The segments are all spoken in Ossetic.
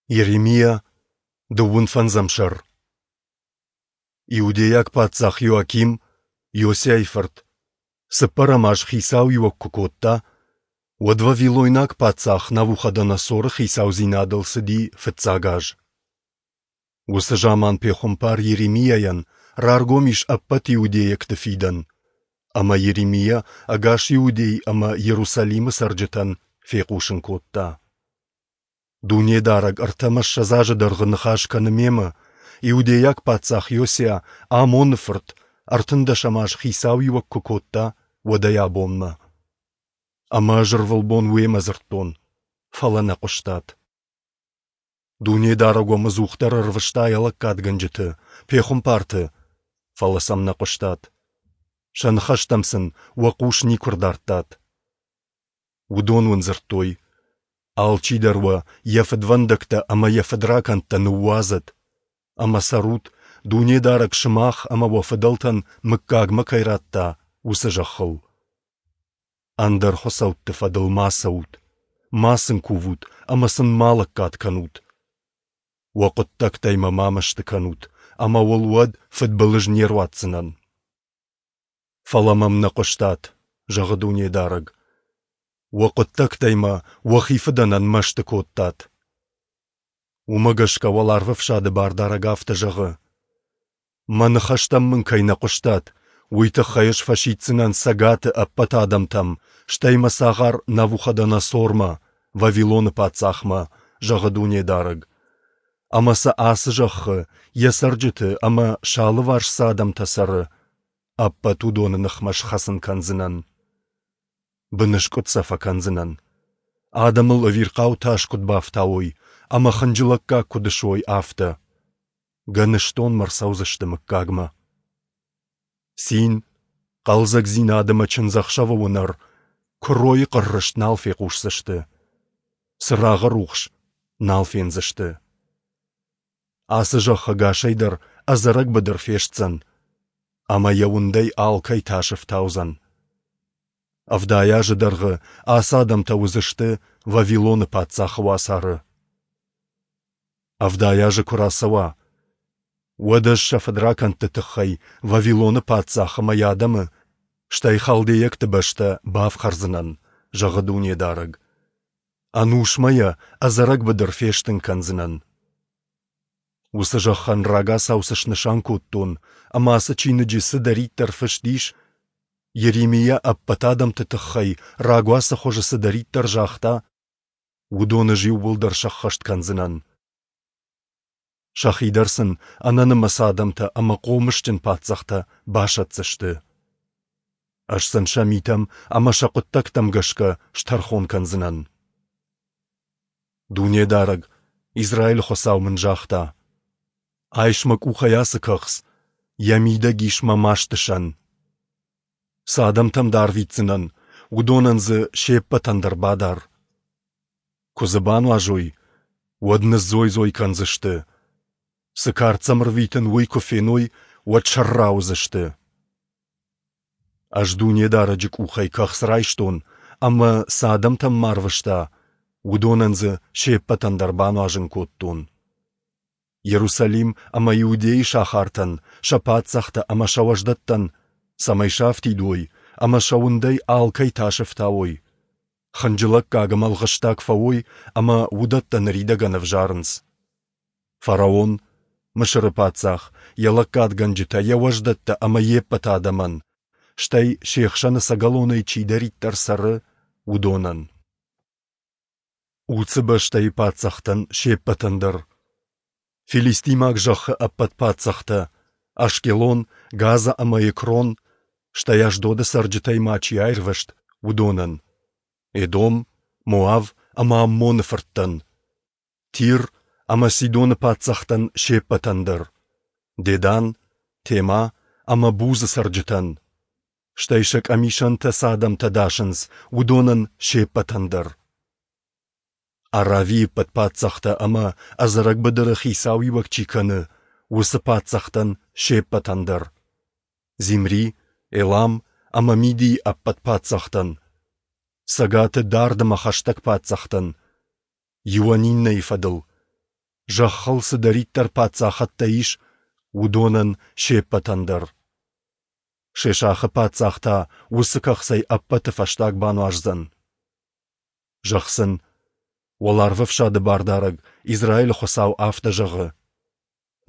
Йеремиа, дыууын фӕндзӕм сӕр. Иудейаг паддзах Иоаким, Иосиайы фырт, цыппӕрӕм аз хицауиуӕг куы кодта, уӕд вавилойнаг паддзах Навуходоносоры хицаудзинадыл цыди фыццаг аз. Уыцы заман пехуымпар Йеремиайӕн раргом ис ӕппӕт иудейӕгты фидӕн, ӕмӕ Йеремиа ӕгас Иудей ӕмӕ Иерусалимы цӕрджытӕн фехъусын кодта. Дунедарӕг 63 азы дӕргъы ныхас кӕны мемӕ, иудейаг паддзах Иосиа, Амоны фырт, ӕртындӕсӕм аз хицауиуӕг куы кодта, уӕдӕй абонмӕ. Ӕмӕ ӕз ӕрвылбон уемӕ дзырдтон, фӕлӕ нӕ хъуыстат. Дунедарӕг уӕм ӕдзухдӕр ӕрвыста йӕ лӕггадгӕнджыты, пехуымпарты, фӕлӕ сӕм нӕ хъуыстат. Сӕ ныхӕстӕм сын уӕ хъус никуы рдардтат. Уыдон уын дзырдтой: Алчидӕр уӕ йӕ фыдвӕндӕгтӕ ӕмӕ йӕ фыдракӕндтӕ ныууадзӕд, ӕмӕ цӕрут, Дунедарӕг сымах ӕмӕ уӕ фыдӕлтӕн мыггагмӕ кӕй радта, уыцы зӕххыл. Ӕндӕр хуыцӕутты фӕдыл ма цӕут, ма сын кувут ӕмӕ сын ма лӕггад кӕнут. Уӕ хъуыддӕгтӕй мӕ ма мӕсты кӕнут, ӕмӕ уыл уӕд фыдбылыз не руадздзынӕн. Фӕлӕ мӕм нӕ хъуыстат, зӕгъы Дунедарӕг. Уӕ хъуыддӕгтӕй мӕ уӕхи фыдӕнӕн мӕсты кодтат. Уымӕ гӕсгӕ Уӕларвӕфсады Бардарӕг афтӕ зӕгъы: Мӕ ныхӕстӕм мын кӕй нӕ хъуыстат, уый тыххӕй ӕз фӕсиддзынӕн Цӕгаты ӕппӕт адӕмтӕм, стӕй мӕ цагъар Навуходоносормӕ, Вавилоны паддзахмӕ, зӕгъы Дунедарӕг. Ӕмӕ сӕ ацы зӕххы, йӕ цӕрджыты ӕмӕ сӕ алыварс цы адӕмтӕ цӕры, ӕппӕт уыдоны ныхмӕ схӕцын кӕндзынӕн. Быныскъуыд сӕ фӕкӕндзынӕн. Адӕмыл ӕвирхъау тас куыд бафтауой ӕмӕ хынджылӕггаг куыд суой, афтӕ. Гӕныстонмӕ рцӕудзысты мыггагмӕ. Цин, хъӕлдзӕгдзинад ӕмӕ чындзӕхсӕвы уынӕр куыройы хъыррыст нал фехъусдзысты, цырагъы рухс нал фендзысты. Ацы зӕхх ӕгасӕй дӕр ӕдзӕрӕг быдыр фестдзӕн, ӕмӕ йӕ уындӕй алкӕй тас ӕфтаудзӕн. 70 азы дӕргъы ацы адӕмтӕ уыдзысты Вавилоны паддзахы уацары. 70 азы куы рацӕуа, уӕд ӕз сӕ фыдракӕндты тыххӕй Вавилоны паддзах ӕмӕ йӕ адӕмы, стӕй халдейӕгты бӕстӕ бафхӕрдзынӕн, зӕгъы Дунедарӕг. Ӕнусмӕ йӕ ӕдзӕрӕг быдыр фестын кӕндзынӕн. Уыцы зӕххӕн рагацау цы снысан кодтон ӕмӕ ацы чиныджы цыдӕриддӕр фыст ис, Йеремиа ӕппӕт адӕмты тыххӕй рагуацы хуызы цыдӕриддӕр загъта, уыдон ӕз иууылдӕр сӕххӕст кӕндзынӕн. Сӕхи дӕр сын ӕнӕнымӕц адӕмтӕ ӕмӕ хъомысджын паддзӕхтӕ басӕтдзысты. Ӕз сын сӕ митӕм ӕмӕ сӕ хъуыддӕгтӕм гӕсгӕ стӕрхон кӕндзынӕн. Дунедарӕг, Израилы Хуыцау мын загъта: Айс мӕ къухӕй ацы кӕхц, йӕ мидӕг ис мӕ масты сӕн. Цы адӕмтӕм дӕ арвитдзынӕн, уыдонӕн дзы се ппӕтӕн дӕр бадар. Куы дзы бануазой, уӕд ныдздзой-дзой кӕндзысты. Цы кард сӕм ӕрвитын, уый куы феной, уӕд сӕрра уыдзысты. Ӕз Дунедарӕджы къухӕй кӕхц райстон ӕмӕ, цы адӕмтӕм мӕ арвыста, уыдонӕн дзы се ппӕтӕн дӕр бануазын кодтон. Иерусалим ӕмӕ Иудейы сахартӕн, сӕ паддзӕхтӕ ӕмӕ сӕ уӕздӕттӕн, цӕмӕй сафтид уой ӕмӕ сӕ уындӕй алкӕй тас ӕфтауой, хынджылӕггаг ӕмӕ ӕлгъыстаг фӕуой ӕмӕ уыдӕттӕ ныридӕгӕн ӕвзарынц. Фараон, Мысыры паддзах, йӕ лӕггадгӕнджытӕ, йӕ уӕздӕттӕ ӕмӕ йе ппӕт адӕмӕн, стӕй се хсӕн ӕцӕгӕлонӕй чидӕриддӕр цӕры, уыдонӕн. Уыцы бӕстӕйы паддзӕхтӕн се ппӕтӕн дӕр. Филистимаг зӕххы ӕппӕт паддзӕхтӕ, Ашкелон, Газа ӕмӕ Экрон, стӕй Ашдоды цӕрджытӕй ма чи аирвӕзт, уыдонӕн, Эдом, Моав ӕмӕ Аммоны фырттӕн, Тир ӕмӕ Сидоны паддзӕхтӕн се ппӕтӕн дӕр, Дедан, Тема ӕмӕ Бузы цӕрджытӕн, стӕй сӕ къӕмисӕнтӕ цы адӕмтӕ дасынц, уыдонӕн се ппӕтӕн дӕр. Аравийы ӕппӕт паддзӕхтӕ ӕмӕ ӕдзӕрӕг быдыры хицауиуӕг чи кӕны, уыцы паддзӕхтӕн се ппӕтӕн дӕр. Зимри, Элам ӕмӕ Мидийы ӕппӕт паддзӕхтӕн, Цӕгаты дард ӕмӕ хӕстӕг паддзӕхтӕн, иуӕн иннӕйы фӕдыл. зӕххыл цыдӕриддӕр паддзахӕдтӕ ис, уыдонӕн се ппӕтӕн дӕр. Шешахы паддзах та уыцы кӕхцӕй ӕппӕты фӕстаг бануаздзӕн. Зӕгъ сын, Уӕларвӕфсады Бардарӕг, Израилы Хуыцау афтӕ зӕгъы: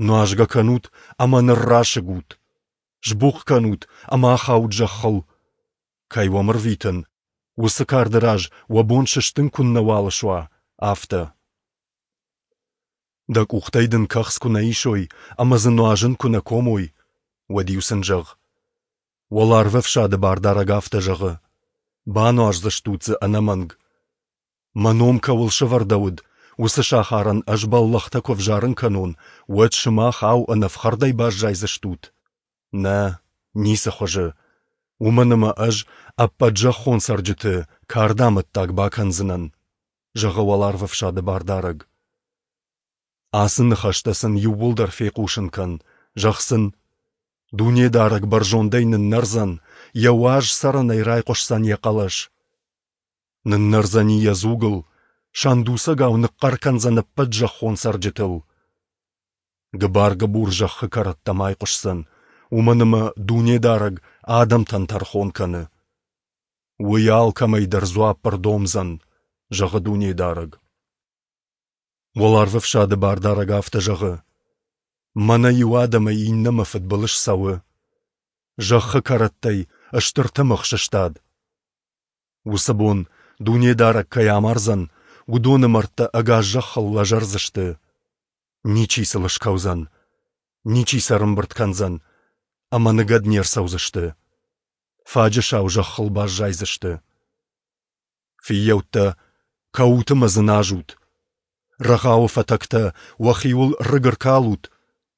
Нуазгӕ кӕнут ӕмӕ ныррасыг ут! Сбухъ кӕнут ӕмӕ ахаут зӕххыл! Кӕй уӕм ӕрвитын, уыцы карды раз уӕ бон сыстын куыннӕуал суа, афтӕ. Дӕ къухтӕй дын кӕхц куы нӕ исой ӕмӕ дзы нуазын куы нӕ комой, уӕд-иу сын зӕгъ: Уӕларвӕфсады Бардарӕг афтӕ зӕгъы: Бануаздзыстут дзы ӕнӕмӕнг. Мӕ ном кӕуыл сӕвӕрдӕуыд, уыцы сахарӕн ӕз бӕллӕхтӕ куы ӕвзарын кӕнон, уӕд сымах, ау, ӕнӕфхӕрдӕй баззайдзыстут? Нӕ, ницы хуызы! Уымӕн ӕмӕ ӕз ӕппӕт зӕххон цӕрджыты карды амӕттаг бакӕндзынӕн, зӕгъы Уӕларвӕфсады Бардарӕг. Ацы ныхӕстӕ сын иууылдӕр фехъусын кӕн, зӕгъ сын: Дунедарӕг бӕрзондӕй ныннӕрдзӕн, Йӕ уаз цӕрӕнӕй райхъуысдзӕн Йӕ хъӕлӕс. Ныннӕрдзӕни Йӕ дзугыл, сӕндуцӕгау ныхъхъӕр кӕндзӕн ӕппӕт зӕххон цӕрджытыл. Гыбар-гыбур зӕххы кӕрӕттӕм айхъуысдзӕн, уымӕн ӕмӕ Дунедарӕг адӕмтӕн тӕрхон кӕны. Уый алкӕмӕй дӕр дзуапп ӕрдомдзӕн, зӕгъы Дунедарӕг. Уӕларвӕфсады Бардарӕг афтӕ зӕгъы: Мӕнӕ иу адӕмӕй иннӕмӕ фыдбылыз цӕуы. Зӕххы кӕрӕттӕй стыр тымыгъ сыстад. Уыцы бон, Дунедарӕг кӕй амардзӕн, уыдоны мӕрдтӕ ӕгас зӕххыл лӕзӕрдзысты. Ничи сыл скӕудзӕн, ничи сӕ ӕрӕмбырд кӕндзӕн, ӕмӕ ныгӕд не рцӕудзысты. Фаджысау зӕххыл баззайдзысты. Фыййӕуттӕ, кӕут ӕмӕ дзыназут! Рӕгъауы фӕтӕгтӕ, уӕхиуыл рыг ӕркалут,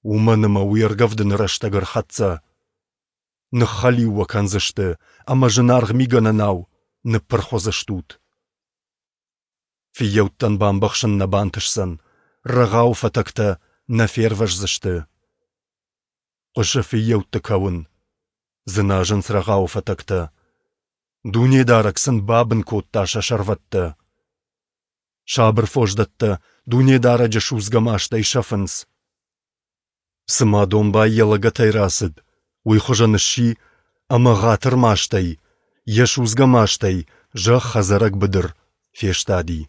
уымӕн ӕмӕ уе ргӕвдыны рӕстӕг ӕрхӕццӕ. Ныххӕлиу уӕ кӕндзысты, ӕмӕ зынаргъ мигӕнӕнау ныппырх уыдзыстут. Фыййӕуттӕн бамбӕхсын нӕ бантысдзӕн, рӕгъауы фӕтӕгтӕ нӕ фервӕздзысты. Хъуысы фыййӕутты кӕуын, дзыназынц рӕгъауы фӕтӕгтӕ. Дунедарӕг сын бабын кодта сӕ сӕрвӕттӕ. Сабыр фосдӕттӕ Дунедарӕджы судзгӕ мастӕй сӕфынц. Цыма домбай йӕ лӕгӕтӕй рацыд, уый хуызӕн сси ӕмӕ ӕгъатыр мастӕй, йӕ судзгӕ мастӕй зӕхх ӕдзӕрӕг быдыр фестади.